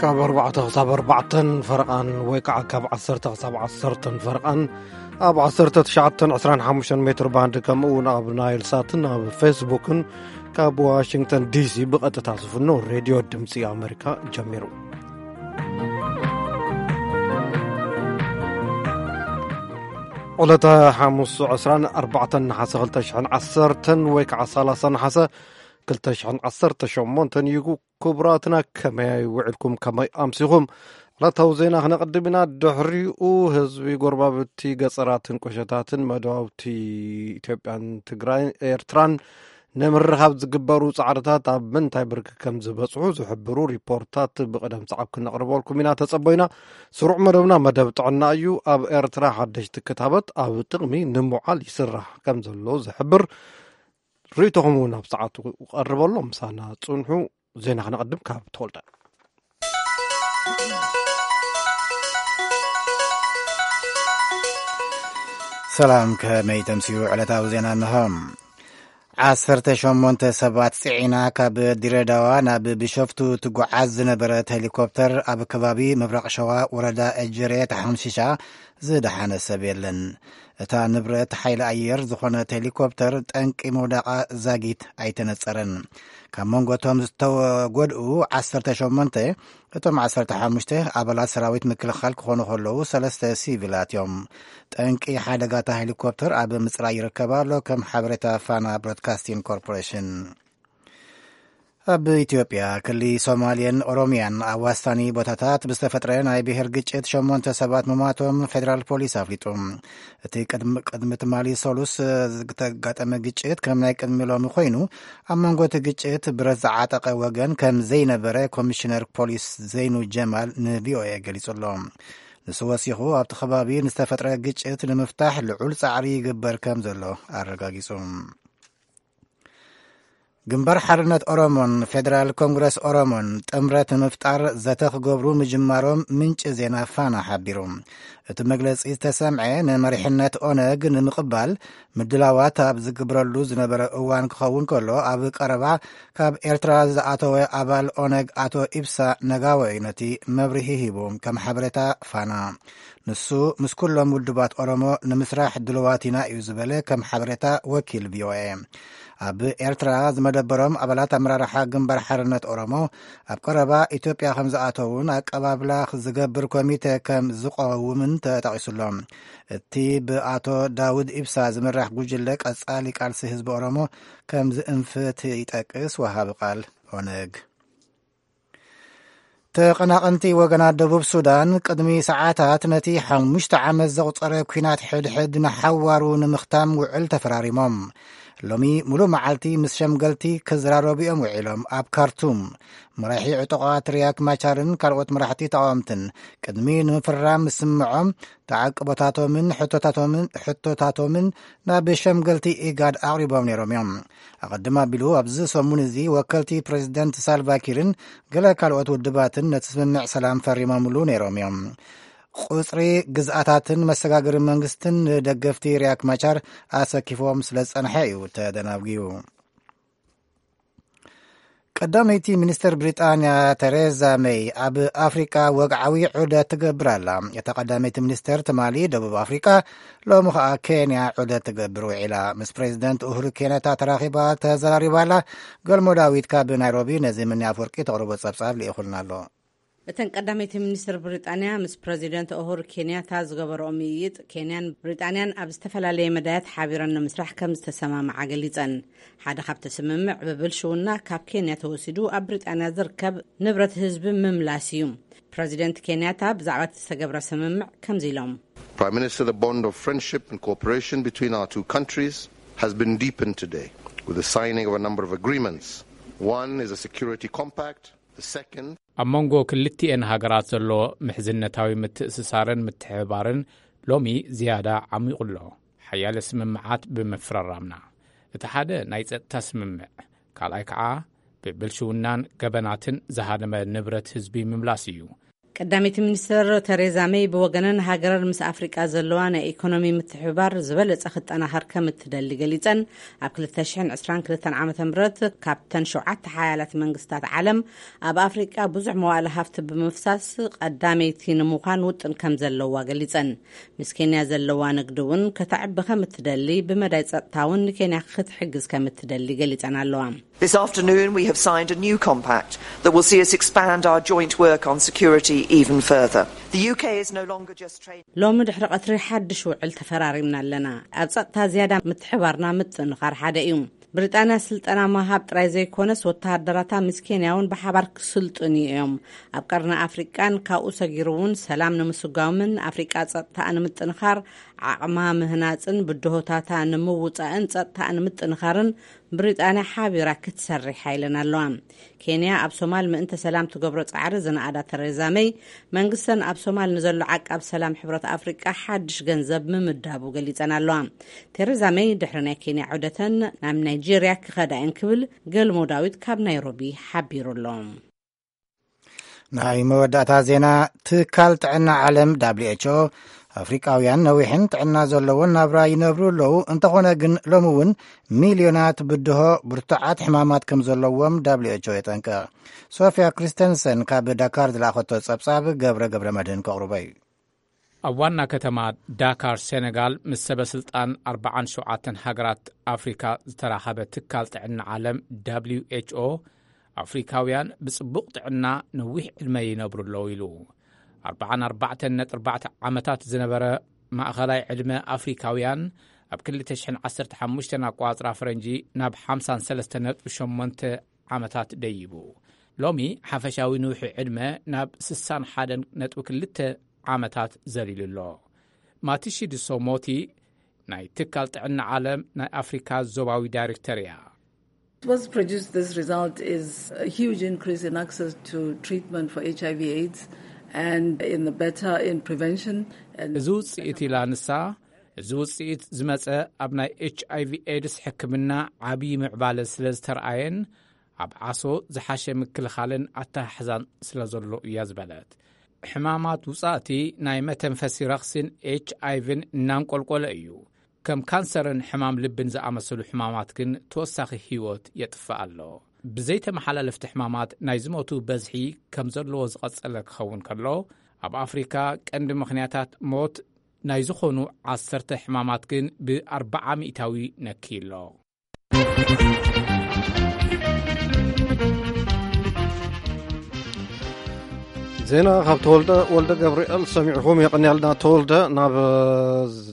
ካብ ኣርባዕተ ክሳብ ኣርባዕተን ፈረቓን ወይ ከዓ ካብ ዓሰርተ ክሳብ ዓሰርተን ፈረቓን ኣብ ዓሰርተ ትሽዓተን ዕስራን ሓሙሽተን ሜትር ባንድ፣ ከምኡ እውን ኣብ ናይል ሳትን ኣብ ፌስቡክን ካብ ዋሽንግተን ዲሲ ብቐጥታ ዝፍኖ ሬድዮ ድምፂ ኣሜሪካ ጀሚሩ። ዕለተ ሓሙስ ዕስራን ኣርባዕተን ነሓሰ ክልተ ሽሕን ዓሰርተን ወይ ከዓ ሰላሳ ነሓሰ ክልተ ሽሕን ዓሰርተ ሸሞንተን እዩ። ክቡራትና፣ ከመይ ውዒልኩም፣ ከመይ ኣምሲኹም? ዕለታዊ ዜና ክነቕድም ኢና። ድሕሪኡ ህዝቢ ጎረባብቲ ገፀራትን ቁሸታትን መደባውቲ ኢትዮጵያን ትግራይ፣ ኤርትራን ንምርኻብ ዝግበሩ ጻዕርታት ኣብ ምንታይ ብርኪ ከም ዝበጽሑ ዝሕብሩ ሪፖርታት ብቕደም ሰዓብ ክነቕርበልኩም ኢና። ተጸበዩና። ስሩዕ መደብና መደብ ጥዕና እዩ። ኣብ ኤርትራ ሓደሽቲ ክታበት ኣብ ጥቕሚ ንምውዓል ይስራሕ ከም ዘሎ ዝሕብር ርእይቶኹም እውን ኣብ ሰዓቱ ክቐርበሎም ምሳና ጽንሑ። ዜና ክነቐድም ካብ ተወልደ። ሰላም፣ ከመይ ተምስዩ? ዕለታዊ ዜና እንሆ። ዓሰርተ ሸሞንተ ሰባት ጽዒና ካብ ድሬዳዋ ናብ ቢሾፍቱ ትጓዓዝ ዝነበረት ሄሊኮፕተር ኣብ ከባቢ ምብራቕ ሸዋ ወረዳ እጅሬ ተሓምሺሻ ዝደሓነ ሰብ የለን። እታ ንብረት ሓይሊ ኣየር ዝኾነት ሄሊኮፕተር ጠንቂ ምውዳቓ ዛጊት ኣይተነጸረን። ካብ መንጎ እቶም ዝተጎድኡ ዓሰርተ ሸሞንተ፣ እቶም ዓሰርተ ሓሙሽተ ኣባላት ሰራዊት ምክልኻል ክኾኑ ከለዉ፣ ሰለስተ ሲቪላት እዮም። ጠንቂ ሓደጋታ ሄሊኮፕተር ኣብ ምጽራይ ይርከብ ኣሎ፣ ከም ሓበሬታ ፋና ብሮድካስቲንግ ኮርፖሬሽን። ኣብ ኢትዮጵያ ክሊ ሶማልያን ኦሮሚያን ኣዋሳኒ ቦታታት ብዝተፈጥረ ናይ ብሄር ግጭት ሸሞንተ ሰባት ምሟቶም ፌደራል ፖሊስ ኣፍሊጡ። እቲ ቅድሚ፣ ቅድሚ ትማሊ ሰሉስ ዝተጋጠመ ግጭት ከም ናይ ቅድሚ ሎሚ ኮይኑ፣ ኣብ መንጎ እቲ ግጭት ብረት ዝዓጠቐ ወገን ከም ዘይነበረ ኮሚሽነር ፖሊስ ዘይኑ ጀማል ንቪኦኤ ገሊጹ ኣሎ። ንሱ ወሲኹ ኣብቲ ከባቢ ንዝተፈጥረ ግጭት ንምፍታሕ ልዑል ጻዕሪ ይግበር ከም ዘሎ ኣረጋጊጹ። ግንባር ሓርነት ኦሮሞን ፌደራል ኮንግረስ ኦሮሞን ጥምረት ንምፍጣር ዘተ ክገብሩ ምጅማሮም ምንጪ ዜና ፋና ሓቢሩ። እቲ መግለጺ ዝተሰምዐ ንመሪሕነት ኦነግ ንምቕባል ምድላዋት ኣብ ዝግብረሉ ዝነበረ እዋን ክኸውን ከሎ፣ ኣብ ቀረባ ካብ ኤርትራ ዝኣተወ ኣባል ኦነግ ኣቶ ኢብሳ ነጋዎ እዩ ነቲ መብርሂ ሂቡ። ከም ሓበሬታ ፋና፣ ንሱ ምስ ኩሎም ውድባት ኦሮሞ ንምስራሕ ድልዋት ኢና እዩ ዝበለ፣ ከም ሓበሬታ ወኪል ቪኦኤ። ኣብ ኤርትራ ዝመደበሮም ኣባላት ኣመራርሓ ግንባር ሓርነት ኦሮሞ ኣብ ቀረባ ኢትዮጵያ ከም ዝኣተውን ኣቀባብላ ዝገብር ኮሚቴ ከም ዝቐውምን ተጠቒሱሎ። እቲ ብኣቶ ዳውድ ኢብሳ ዝምራሕ ጉጅለ ቀጻሊ ቃልሲ ህዝቢ ኦሮሞ ከም ዝእንፍት ይጠቅስ ወሃቢ ቃል ኦነግ። ተቐናቐንቲ ወገናት ደቡብ ሱዳን ቅድሚ ሰዓታት ነቲ ሓሙሽተ ዓመት ዘቑጸረ ኲናት ሕድሕድ ንሓዋሩ ንምኽታም ውዕል ተፈራሪሞም። ሎሚ ሙሉእ መዓልቲ ምስ ሸምገልቲ ክዘራረቡ እዮም ውዒሎም። ኣብ ካርቱም፣ መራሒ ዕጡቓት ሪያክ ማቻርን ካልኦት መራሕቲ ተቓወምትን ቅድሚ ንምፍራም ምስምዖም፣ ተዓቅቦታቶምን ሕቶታቶምን፣ ሕቶታቶምን ናብ ሸምገልቲ ኢጋድ ኣቕሪቦም ነይሮም እዮም። ኣቐድም ኣቢሉ ኣብዚ ሰሙን እዚ ወከልቲ ፕሬዚደንት ሳልቫኪርን ገለ ካልኦት ውድባትን ነቲ ስምምዕ ሰላም ፈሪሞምሉ ነይሮም እዮም። ቁጽሪ ግዝኣታትን መሰጋገሪ መንግስትን ንደገፍቲ ሪያክ ማቻር ኣሰኪፎም ስለ ዝጸንሐ እዩ ተደናጒዩ። ቀዳመይቲ ሚኒስተር ብሪጣንያ ተሬዛ ሜይ ኣብ ኣፍሪቃ ወግዓዊ ዑደት ትገብር ኣላ። እታ ቀዳመይቲ ሚኒስተር ትማሊ ደቡብ ኣፍሪቃ፣ ሎሚ ኸኣ ኬንያ ዑደት ትገብር ውዒላ። ምስ ፕሬዚደንት ኡሁሩ ኬንያታ ተራኺባ ተዘራሪባ ኣላ። ገልሞ ዳዊት ካብ ናይሮቢ ነዚ ምንያ ኣፍወርቂ ተቕርቦ ጸብጻብ ልኢኹልና ኣሎ። እተን ቀዳመይቲ ሚኒስትር ብሪጣንያ ምስ ፕረዚደንት ኡሁሩ ኬንያታ ዝገበረኦ ምይይጥ፣ ኬንያን ብሪጣንያን ኣብ ዝተፈላለየ መዳያት ሓቢረን ንምስራሕ ከም ዝተሰማምዓ ገሊጸን። ሓደ ካብቲ ስምምዕ፣ ብብልሽውና ካብ ኬንያ ተወሲዱ ኣብ ብሪጣንያ ዝርከብ ንብረት ህዝቢ ምምላስ እዩ። ፕረዚደንት ኬንያታ ብዛዕባ እቲ ዝተገብረ ስምምዕ ከምዚ ኢሎም። Prime Minister, the bond of friendship and cooperation between our two countries has been deepened today with the signing of a number of agreements. One is a security compact. The second ኣብ መንጎ ክልቲኤን ሃገራት ዘሎ ምሕዝነታዊ ምትእስሳርን ምትሕብባርን ሎሚ ዝያዳ ዓሚቑ ኣሎ፣ ሓያለ ስምምዓት ብምፍርራምና። እቲ ሓደ ናይ ጸጥታ ስምምዕ፣ ካልኣይ ከኣ ብብልሽውናን ገበናትን ዝሃደመ ንብረት ህዝቢ ምምላስ እዩ። ቀዳመይቲ ሚኒስትር ቴሬዛ ሜይ ብወገነን፣ ሃገረን ምስ ኣፍሪቃ ዘለዋ ናይ ኢኮኖሚ ምትሕብባር ዝበለጸ ክጠናኸር ከም እትደሊ ገሊጸን፣ ኣብ ክልተ ሽሕን ዕስራን ክልተን ዓመተ ምህረት ካብተን ሸውዓተ ሓያላት መንግስታት ዓለም ኣብ ኣፍሪቃ ብዙሕ መዋእለ ሃፍቲ ብምፍሳስ ቀዳመይቲ ንምዃን ውጥን ከም ዘለዋ ገሊጸን፣ ምስ ኬንያ ዘለዋ ንግዲ እውን ከተዕቢ ከም እትደሊ፣ ብመዳይ ጸጥታ እውን ንኬንያ ክትሕግዝ ከም እትደሊ ገሊጸን ኣለዋ። This afternoon, we have signed a new compact that will see us expand our joint work on security even further. The U K is no longer just trading. ሎሚ ድሕሪ ቀትሪ ሓድሽ ውዕል ተፈራሪምና ኣለና። ኣብ ጸጥታ ዝያዳ ምትሕባርና ምጥንኻር ሓደ እዩ። ብሪጣንያ ስልጠና ምሃብ ጥራይ ዘይኮነስ፣ ወተሃደራታ ምስ ኬንያ እውን ብሓባር ክስልጥኑ እዮም። ኣብ ቀርኒ ኣፍሪቃን ካብኡ ሰጊሩ እውን ሰላም ንምስጓምን ኣፍሪቃ ጸጥታኣ ንምጥንኻር ዓቕማ ምህናጽን ብድሆታታ ንምውጻእን ጸጥታኣ ንምጥንኻርን ብሪጣንያ ሓቢራ ክትሰርሕ ኢለን ኣለዋ። ኬንያ ኣብ ሶማል ምእንተ ሰላም ትገብሮ ጻዕሪ ዝነኣዳ ተሬዛ መይ፣ መንግስተን ኣብ ሶማል ንዘሎ ዓቃብ ሰላም ሕብረት ኣፍሪቃ ሓድሽ ገንዘብ ምምዳቡ ገሊጸን ኣለዋ። ቴሬዛ መይ ድሕሪ ናይ ኬንያ ዑደተን ናብ ናይጄርያ ክኸዳ እየን ክብል ገልሞ ዳዊት ካብ ናይሮቢ ሓቢሩ ኣሎ። ናይ መወዳእታ ዜና። ትካል ጥዕና ዓለም W H O ኣፍሪቃውያን ነዊሕን ጥዕና ዘለዎን ናብራ ይነብሩ ኣለዉ። እንተኾነ ግን ሎሚ እውን ሚልዮናት ብድሆ ብርቱዓት ሕማማት ከም ዘለዎም W H O የጠንቅቕ። ሶፊያ ክሪስተንሰን ካብ ዳካር ዝለኣኸቶ ጸብጻብ ገብረ ገብረ መድህን ከቕርቦ እዩ። ኣብ ዋና ከተማ ዳካር ሴኔጋል ምስ ሰበ ስልጣን ኣርባዓን ሸውዓተን ሃገራት ኣፍሪካ ዝተራኸበ ትካል ጥዕና ዓለም W H O ኣፍሪካውያን ብጽቡቕ ጥዕና ነዊሕ ዕድመ ይነብሩ ኣለዉ ኢሉ። ኣርባዓን ኣርባዕተን ነጥቢ ኣርባዕተ ዓመታት ዝነበረ ማእኸላይ ዕድመ ኣፍሪካውያን ኣብ ክልተ ሽሕን ዓሰርተ ሓሙሽተን ኣቋጽራ ፈረንጂ ናብ ሓምሳን ሰለስተን ነጥቢ ሸሞንተ ዓመታት ደይቡ። ሎሚ ሓፈሻዊ ንውሒ ዕድመ ናብ ስሳን ሓደን ነጥቢ ክልተ ዓመታት ዘሊሉ ኣሎ። ማቲሺ ድሶ ሞቲ ናይ ትካል ጥዕና ዓለም ናይ ኣፍሪካ ዞባዊ ዳይሬክተር እያ። What's produced this result is a huge increase in access to treatment for H I V AIDS and in the better in prevention. And እዚ ውፅኢት ኢላ ንሳ፣ እዚ ውፅኢት ዝመፀ ኣብ ናይ ኤች ኣይ ቪ ኤድስ ሕክምና ዓብዪ ምዕባለ ስለ ዝተረኣየን ኣብ ዓሶ ዝሓሸ ምክልኻልን ኣተሓሕዛን ስለ ዘሎ እያ ዝበለት። ሕማማት ውፃእቲ ናይ መተንፈሲ ረኽሲን ኤች ኣይ ቪን እናንቆልቆለ እዩ። ከም ካንሰርን ሕማም ልብን ዝኣመሰሉ ሕማማት ግን ተወሳኺ ህይወት የጥፍእ ኣሎ። ብዘይተመሓላለፍቲ ሕማማት ናይ ዝሞቱ በዝሒ ከም ዘለዎ ዝቐጸለ ክኸውን ከሎ፣ ኣብ ኣፍሪካ ቀንዲ ምኽንያታት ሞት ናይ ዝኾኑ ዓሰርተ ሕማማት ግን ብኣርባዓ ሚእታዊ ነክዩ ኣሎ። ዜና ካብ ተወልደ ወልደ ገብርኤል ሰሚዕኹም። የቐንያልና ተወልደ። ናብ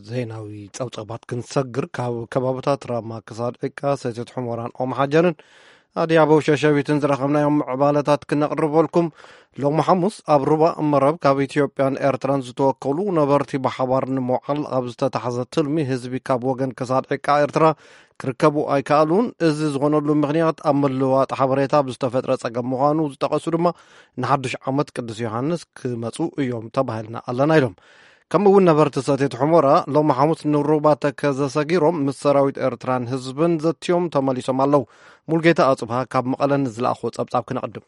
ዜናዊ ጸብጸባት ክንሰግር፣ ካብ ከባብታት ራማ ክሳድ ዕቃ፣ ሰቲት ሑመራን ኦምሓጀርን ኣድያቦ ሸሸቢትን ዝረኸብናዮም ምዕባለታት ክነቕርበልኩም። ሎሚ ሓሙስ ኣብ ሩባ መረብ ካብ ኢትዮጵያን ኤርትራን ዝተወከሉ ነበርቲ ብሓባር ንምውዓል ኣብ ዝተታሕዘ ትልሚ፣ ህዝቢ ካብ ወገን ክሳድ ዕቃ ኤርትራ ክርከቡ ኣይከኣሉን። እዚ ዝኾነሉ ምኽንያት ኣብ ምልዋጥ ሓበሬታ ብዝተፈጥረ ጸገም ምዃኑ ዝጠቐሱ ድማ፣ ንሓድሽ ዓመት ቅዱስ ዮሃንስ ክመጹ እዮም ተባሂልና ኣለና ኢሎም። ከምኡ እውን ነበርቲ ሰቲት ሑመራ ሎሚ ሓሙስ ንሩባ ተከዘ ሰጊሮም ምስ ሰራዊት ኤርትራን ህዝብን ዘትዮም ተመሊሶም ኣለዉ። ሙልጌታ ኣጽብሃ ካብ መቐለ ንዝለኣኾ ጸብጻብ ክነቕድም።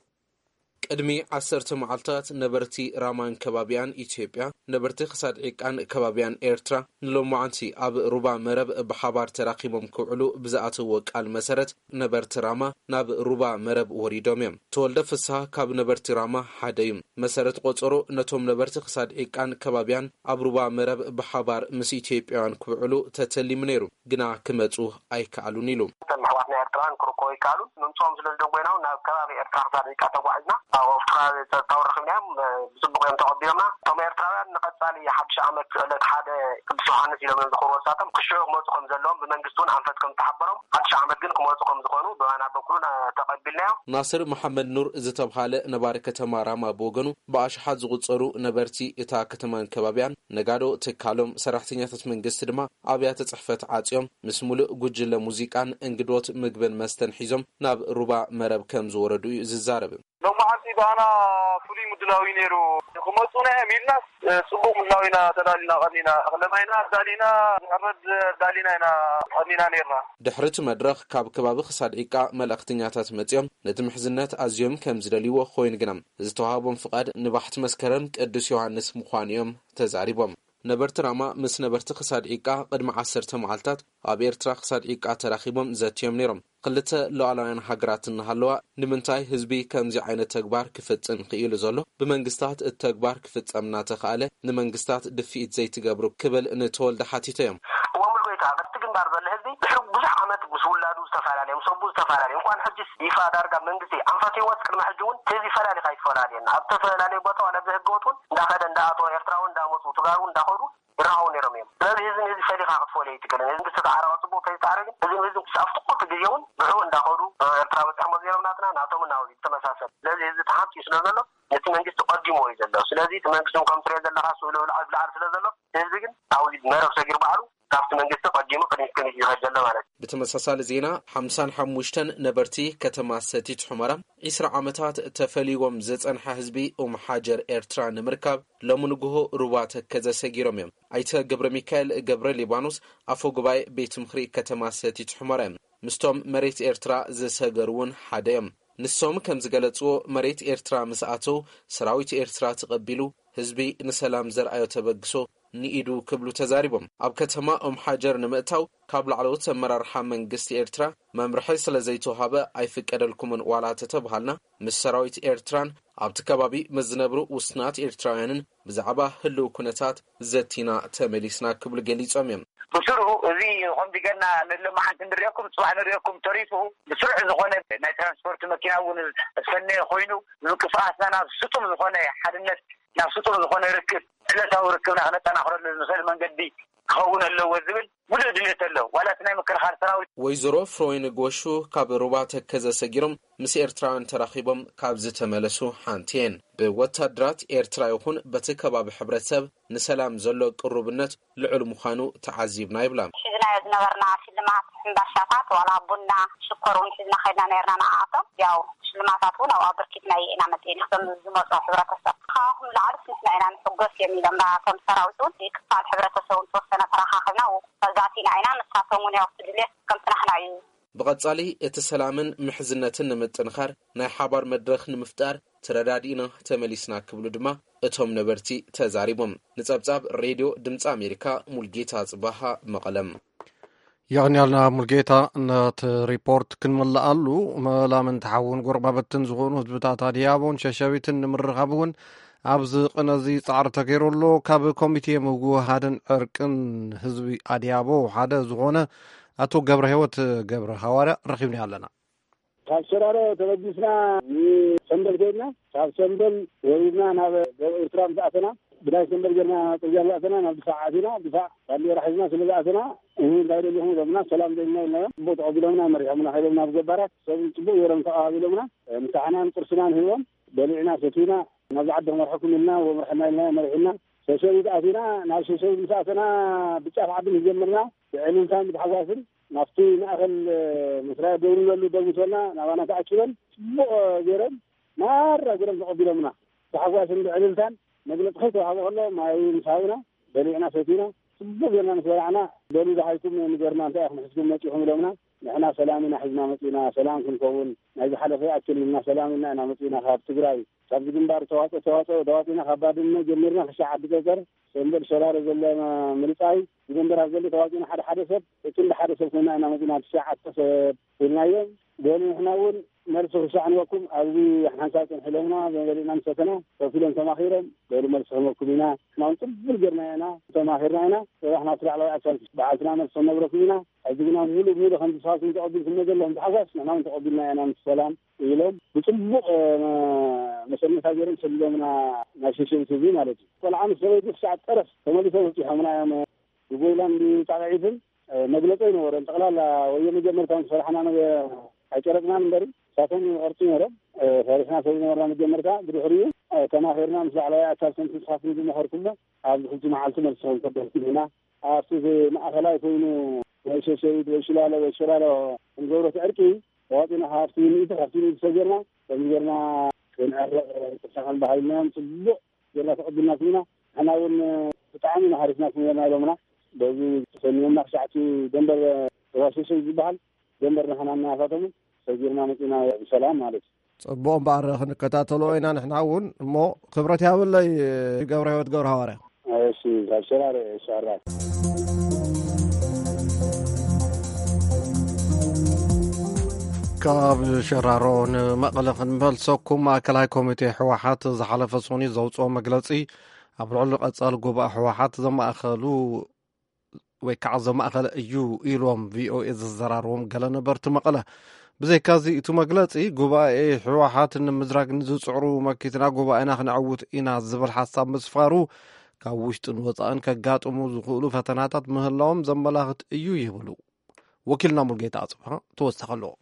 ቅድሚ ዓሰርተ መዓልታት ነበርቲ ራማን ከባቢያን ኢትዮጵያ፣ ነበርቲ ክሳድ ዒቃን ከባቢያን ኤርትራ ንሎማዓንቲ ኣብ ሩባ መረብ ብሓባር ተራኺቦም ክውዕሉ ብዝኣተዎ ቃል መሰረት፣ ነበርቲ ራማ ናብ ሩባ መረብ ወሪዶም እዮም። ተወልደ ፍስሃ ካብ ነበርቲ ራማ ሓደ እዩ። መሰረት ቆጸሮ፣ ነቶም ነበርቲ ክሳድ ዒቃን ከባቢያን ኣብ ሩባ መረብ ብሓባር ምስ ኢትዮጵያውያን ክውዕሉ ተተሊሙ ነይሩ፣ ግና ክመጹ ኣይከኣሉን ኢሉ። እቶም ኣሕዋትና ኤርትራውያን ክርከቡ ኣይከኣሉን። ምምፅኦም ስለ ዝደንጎይና እውን ናብ ከባቢ ኤርትራ ክሳድ ዒቃ ተጓዒዝና፣ ኣብ ኣውስትራልያ ጸጥታውን ረኺብናዮም፣ ብጽቡቕ እዮም ተቐቢሎምና። እቶም ኤርትራውያን ንቐጻሊ ሓድሽ ዓመት ዕለት ሓደ ቅዱስ ዮሃንስ ኢሎም እዮም ዘኽብርዎ። ንሳቶም ክሽዑ ክመጹ ከም ዘለዎም ብመንግስቲ እውን ኣንፈት ከም ዝተሓበሮም፣ ሓድሽ ዓመት ግን ክመጹ ከም ዝኾኑ ብባና በኩሉ ተቐቢልናዮ። ናስር መሓመድ ኑር ዝተብሃለ ነባሪ ከተማ ራማ ብወገኑ፣ ብኣሽሓት ዝቑጸሩ ነበርቲ እታ ከተማን ከባቢያን፣ ነጋዶ፣ ትካሎም፣ ሰራሕተኛታት መንግስቲ ድማ ኣብያተ ጽሕፈት ዓጽዮም፣ ምስ ሙሉእ ጉጅለ ሙዚቃን እንግዶት ምግብን መስተን ሒዞም ናብ ሩባ መረብ ከም ዝወረዱ እዩ ዝዛረብ። ሎማዓንቲ ብኣና ፍሉይ ምድላው እዩ ነይሩ። ክመፁና እዮም ኢልናስ፣ እ፣ ፅቡቕ ምድላው ኢና ተዳሊና ቀኒና። እኽለ ማይና ኣዳሊና፣ ዝሕረድ ኣዳሊና ኢና ቀኒና ነይርና። ድሕሪ እቲ መድረኽ ካብ ከባቢ ክሳድ ዒቃ መልእኽተኛታት መፂኦም ነቲ ምሕዝነት ኣዝዮም ከም ዝደልይዎ ኮይኑ ግና ዝተዋህቦም ፍቓድ ንባሕቲ መስከረም ቅዱስ ዮሃንስ ምዃኑ እዮም ተዛሪቦም። ነበርቲ ራማ ምስ ነበርቲ ክሳድ ዒቃ ቅድሚ ዓሰርተ መዓልታት ኣብ ኤርትራ ክሳድ ዒቃ ተራኺቦም ዘትዮም ነይሮም። ክልተ ሉዓላውያን ሃገራት እናሃለዋ ንምንታይ ህዝቢ ከምዚ ዓይነት ተግባር ክፍጽም ክኢሉ ዘሎ? ብመንግስታት እቲ ተግባር ክፍጸም እናተኻእለ ንመንግስታት ድፍኢት ዘይትገብሩ ክብል ንተወልደ ሓቲቶ እዮም። እሞ ሙሉ ጎይታ፣ ኣብቲ ግንባር ዘሎ ህዝቢ ድሕሪ ብዙሕ ዓመት ምስ ውላዱ ዝተፈላለየ፣ ምስ ኣቦኡ ዝተፈላለየ፣ እንኳን ሕጅስ ይፋ ዳርጋ መንግስቲ ኣንፈትዎ ቅድሚ ሕጂ እውን ህዝቢ ፈላሊኻ ይፈላለየና። ኣብ ዝተፈላለየ ቦታ ዋላ ብህገ ወጥ እውን እንዳኸደ እንዳኣተወ ኤርትራዊ እንዳመፁ ትጋሩ እንዳኸዱ ይረኸቡ ነይሮም እዮም። ስለዚ ህዝቢ ንህዝቢ ፈሊኻ ክትፈልዮ ኣይትክእልን። ህዝቢ ዝተፃዕረ ጽቡቕ ተይፃዕረ ግን ህዝቢ ንህዝቢ ክሳብ ትቁት ግዜ እውን ብሕኡ እንዳኸዱ ኤርትራ በፂሖሞ ዘይሮም ናትና ናቶም እናወዚ ዝተመሳሰል። ስለዚ ህዝቢ ተሓምፂ ስለ ዘሎ ነቲ መንግስቲ ቀዲሞ እዩ ዘሎ። ስለዚ እቲ መንግስቲ እውን ከም ትሪኦ ዘለኻ ስእሉ ብላዕሊ ብላዕሊ ስለ ዘሎ ህዝቢ ግን ኣብዚ መረብ ሰጊሩ ባዕሉ ካብቲ መንግስቲ ቀዲሙ ቅድሚት ቅድሚት ይኸድ ዘሎ ማለት እዩ። ብተመሳሳሊ ዜና ሓምሳን ሓሙሽተን ነበርቲ ከተማ ሰቲት ሑመራ ዒስራ ዓመታት ተፈልይዎም ዝጸንሐ ህዝቢ ኡም ሓጀር ኤርትራ ንምርካብ ሎሚ ንግሆ ሩባ ተከዘ ሰጊሮም እዮም። ኣይተ ገብረ ሚካኤል ገብረ ሊባኖስ ኣፈ ጉባኤ ቤት ምኽሪ ከተማ ሰቲት ሑመራ እዮም። ምስቶም መሬት ኤርትራ ዝሰገሩ እውን ሓደ እዮም። ንሶም ከም ዝገለጽዎ መሬት ኤርትራ ምስ ኣተው ሰራዊት ኤርትራ ተቐቢሉ ህዝቢ ንሰላም ዘርኣዮ ተበግሶ ንኢዱ ክብሉ ተዛሪቦም። ኣብ ከተማ ኦም ሓጀር ንምእታው ካብ ላዕለዎት ኣመራርሓ መንግስቲ ኤርትራ መምርሒ ስለ ዘይተዋሃበ ኣይፍቀደልኩምን ዋላ ተተብሃልና ምስ ሰራዊት ኤርትራን ኣብቲ ከባቢ ምስ ዝነብሩ ውስናት ኤርትራውያንን ብዛዕባ ህልው ኩነታት ዘቲና ተመሊስና ክብሉ ገሊጾም እዮም። ብስሩ እዚ ከምዚ ገና ንሎማዓንቲ ንሪኦኩም፣ ጽባሕ ንሪኦኩም ተሪፉ ብስሩዕ ዝኾነ ናይ ትራንስፖርት መኪና እውን ዝፈነየ ኮይኑ፣ ንምንቅስቓስና ናብ ስጡም ዝኾነ ሓድነት፣ ናብ ስጡም ዝኾነ ርክብ፣ ዕለታዊ ርክብና ክነጠናኽረሉ ንኽእል መንገዲ ክኸውን ኣለዎ ዝብል ሙሉእ ድሌት ኣሎ። ዋላ እቲ ናይ ምክልኻል ሰራዊት። ወይዘሮ ፍሮይን ጎሹ ካብ ሩባ ተከዘ ሰጊሮም ምስ ኤርትራውያን ተራኺቦም ካብ ዝተመለሱ ሓንቲ እየን። ብወታደራት ኤርትራ ይኹን በቲ ከባቢ ሕብረተሰብ ንሰላም ዘሎ ቅሩብነት ልዑል ምዃኑ ተዓዚብና ይብላ። ሒዝናዮ ዝነበርና ሽልማት ሕምባሻታት፣ ዋላ ቡና፣ ሽኮር እውን ሒዝና ከይድና ነይርና ንዓኣቶም። ያው ሽልማታት እውን ኣብኡ ኣበርኪትና ኢና መፂእና። እቶም ዝመፁ ሕብረተሰብ፣ "ካባኹም ዝለዓሉስ ንሕና ኢና ንሕጎስ" እዮም ኢሎም። እቶም ሰራዊት እውን ክፋል ሕብረተሰብ እውን ተወሰነ ተረኻኺብና ኣብኡ ተዛቲና ኢና። ንሳቶም እውን ያው እቲ ድሌት ከም ጽናሕና እዩ። ብቐጻሊ እቲ ሰላምን ምሕዝነትን ንምጥንኻር ናይ ሓባር መድረኽ ንምፍጣር ተረዳዲእና ተመሊስና ክብሉ ድማ እቶም ነበርቲ ተዛሪቦም። ንጸብጻብ ሬድዮ ድምጺ ኣሜሪካ፣ ሙልጌታ ጽባሃ፣ መቐለም። የቕንያልና ሙልጌታ። ነቲ ሪፖርት ክንምልኣሉ፣ መላምንቲ ሓውን ጎረባብትን ዝኾኑ ህዝብታት ኣድያቦን ሸሸቢትን ንምርኻብ እውን ኣብዚ ቅነ እዚ ጻዕሪ ተገይሩ ኣሎ። ካብ ኮሚቴ ምውህሃድን ዕርቅን ህዝቢ ኣድያቦ ሓደ ዝኾነ ኣቶ ገብረ ህይወት ገብረ ሃዋርያ ረኺብና ኣለና። ካብ ሸራሮ ተበጊስና ንሰምበል ከይድና፣ ካብ ሰምበል ወሪድና ናብ ደቡብ ኤርትራ ምስ ኣተና፣ ብናይ ሰምበል ጌርና ጽርግያ ዝኣተና ናብ ድፋዕ ኣቲና፣ ድፋዕ ባንዴራ ሒዝና ስለ ዝኣተና፣ "እህ፣ እንታይ ደሊኹም?" ኢሎምና፣ "ሰላም ደሊና" ኢልናዮም። ጽቡቕ ተቐቢሎምና፣ መሪሖምና ከይዶም ናብ ገባራት፣ ሰብ ጽቡቕ ገይሮም ተቐባቢሎምና። ምሳሕናን ቁርስናን ሂቦም፣ በሊዕና ሰቲና፣ "ናብዚ ዓዲ ክመርሐኩም ኢልና፣ ወምርሐና" ኢልና፣ መሪሑና። ሸሸቢት ኣቲና፣ ናብ ሸሸቢት ምስ ኣተና፣ ብጫፍ ዓዲ ምስ ጀመርና፣ ብዕልልታን ብታሕጓስን ናብቲ ማእከል፣ እ፣ መስርያ ደው ንበሉ ደው ምስ በልና፣ ናባና ተኣኪበን ጽቡቕ ገይሮም ማራ ገይሮም ተቐቢሎምና። ብታሕጓስን ብዕልልታን መግለጺ ከይተዋህበ ከሎ ማይ ምስ ሃቡና፣ በሊዕና ሰቲና፣ ጽቡቕ ጌርና ምስ በላዕና፣ "በሉ ደሃይኩም ንገርና፣ እንታይ ኢኹም ሒዝኩም መጺኹም?" ኢሎምና። ንሕና ሰላም ኢና ሒዝና መጺና፣ ሰላም ክንከውን፣ ናይ ዝሓለፈ ይኣክል ኢልና ሰላም ኢልና ኢና መጺና ካብ ትግራይ። ካብዚ ግንባር ተዋጽኦ፣ ተዋጽኦ፣ ተዋጺና ካብ ባድመ ጀሚርና ክሻዕ ዓዲ ጸጸር፣ ሰምበል ሸራሮ ዘሎ ምርጻይ፣ እዚ ግንባር ኣብ ዘሎ ተዋጺና ሓደ ሓደ ሰብ፣ ክንዲ ሓደ ሰብ ኮይና ኢና መጺና፣ ትሽዓተ ሰብ ኢልናዮም። በሉ ንሕና እውን መልሲ ክሻዕ ንበኩም፣ ኣብዚ ሓንሳብ ጽንሑ ኢሎምና፣ በሊዕና ምስ ሰተና፣ ኮፍ ኢሎም ተማኺሮም፣ በሉ መልሲ ክህበኩም ኢና፣ ንሕና እውን ጽቡል ጌርና ኢና፣ ተማኺርና ኢና፣ ጽባሕ ናብቲ ላዕለዋይ ኣካል በዓልትና መልሲ ክንነግረኩም ኢና። ሕጂ ግና ሙሉእ ሙሉእ ከምዚ ንስኻትኩም ተቐቢልኩሞ ዘለኹም ብታሕጓስ ንሕና እውን ተቐቢልና ኢና ምስ ሰላም ኢሎም ብጽቡቕ፣ እ፣ መሰነታ ገይሮም ሰዲዶምና ናብ ሸሸቢት ህዝቢ ማለት እዩ። ቆልዓ ምስ ሰበይቲ ክሳዕ ጠረፍ ተመሊሶም ኣብጺሖምና እዮም። ብጎይላን ብጣቕዒትን፣ እ፣ መግለጺ ኣይነበረን። ጠቕላላ ወዮ መጀመርታ ምስ ፈራሕና ነገ ኣይጨረጥናን እምበሪ፣ ንሳቶም ይቐርጹ ነይሮም። እ፣ ፈሪሕና ስለ ዝነበርና መጀመርታ፣ ብድሕሪኡ፣ እ፣ ተማኺርና ምስ ላዕለዋይ ኣካል ከምቲ ንስኻትኩም ዝመኸርኩሞ ኣብዚ ሕጂ መዓልቲ መልሲ ክንከበልኩም ኢና። ኣብቲ ማእኸላይ ኮይኑ ወይ ሸሸቢት ወይ ሽላሎ ወይ ሸላሎ ክንገብሮ እቲ ዕርቂ ተዋፂና ካብቲ ሚእቲ ካብቲ ሚእቲ ሰብ ጌርና ከምዚ ጌርና ክንዕረቕ ተሳኸን ባህልናዮም ጽቡቕ ጌርና ተቐቢልናኩም ኢና። ንሕና እውን ብጣዕሚ ኢና ሓሪፍናኩም ኔርና ኢሎምና። በዚ ተሰኒዮምና ክሳዕቲ ደንበር ተዋሽሹ ዝበሃል ደንበር ንሕና እናፋተሙ ሰጊርና መጺና ብሰላም ማለት እዩ። ጽቡቕ እምበኣር ክንከታተሎ ኢና ንሕና እውን። እሞ ክብረት ያብለይ ገብረ ህይወት ገብረ ሃዋርያ። እሺ፣ ካብ ሸራሮ፣ እሺ፣ ኣራይ። ካብ ሸራሮ ንመቐለ ክንመልሰኩም፣ ማእከላይ ኮሚቴ ህወሓት ዝሓለፈ ሶኒ ዘውፅኦ መግለፂ ኣብ ልዕሊ ቀፃሊ ጉባኤ ህወሓት ዘማእኸሉ ወይ ከዓ ዘማእኸለ እዩ ኢሎም ቪኦኤ ዘዘራረቦም ገለ ነበርቲ መቐለ። ብዘይካዚ፣ እቲ መግለፂ ጉባኤ ህወሓት ንምዝራግ ንዝፅዕሩ መኪትና ጉባኤና ክነዕውት ኢና ዝብል ሓሳብ ምስፋሩ፣ ካብ ውሽጥን ወፃእን ከጋጥሙ ዝኽእሉ ፈተናታት ምህላዎም ዘመላኽት እዩ ይብሉ። ወኪልና ሙልጌታ ኣፅብሃ ተወሳኺ ኣለዎ።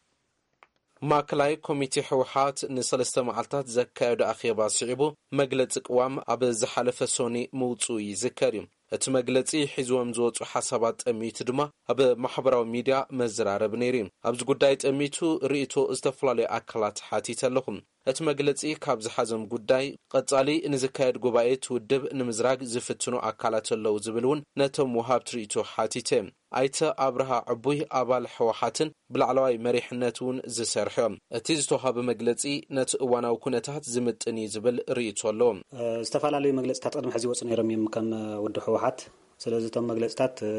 ማእከላይ ኮሚቴ ህወሓት ንሰለስተ መዓልታት ዘካየዶ ኣኼባ ስዒቡ፣ መግለጺ ቅዋም ኣብ ዝሓለፈ ሶኒ ምውጽኡ ይዝከር እዩ። እቲ መግለጺ ሒዝዎም ዝወጹ ሓሳባት ጠሚቱ ድማ ኣብ ማሕበራዊ ሚድያ መዘራረቢ ነይሩ እዩ። ኣብዚ ጉዳይ ጠሚቱ ርእይቶ ዝተፈላለዩ ኣካላት ሓቲተ ኣለኹ። እቲ መግለጺ ካብ ዝሓዞም ጉዳይ፣ ቀጻሊ ንዝካየድ ጉባኤ እቲ ውድብ ንምዝራግ ዝፍትኑ ኣካላት ኣለዉ ዝብል እውን ነቶም ወሃብቲ ርእይቶ ሓቲተ። ኣይተ ኣብርሃ ዕቡይ ኣባል ህወሓትን ብላዕለዋይ መሪሕነት እውን ዝሰርሑ እዮም። እቲ ዝተዋህበ መግለጺ ነቲ እዋናዊ ኩነታት ዝምጥን እዩ ዝብል ርእይቶ ኣለዎ። እ፣ ዝተፈላለዩ መግለጽታት ቅድሚ ሕዚ ይወጹ ነይሮም እዮም ከም ውድብ ህወሓት። ስለዚ እቶም መግለጽታት፣ እ፣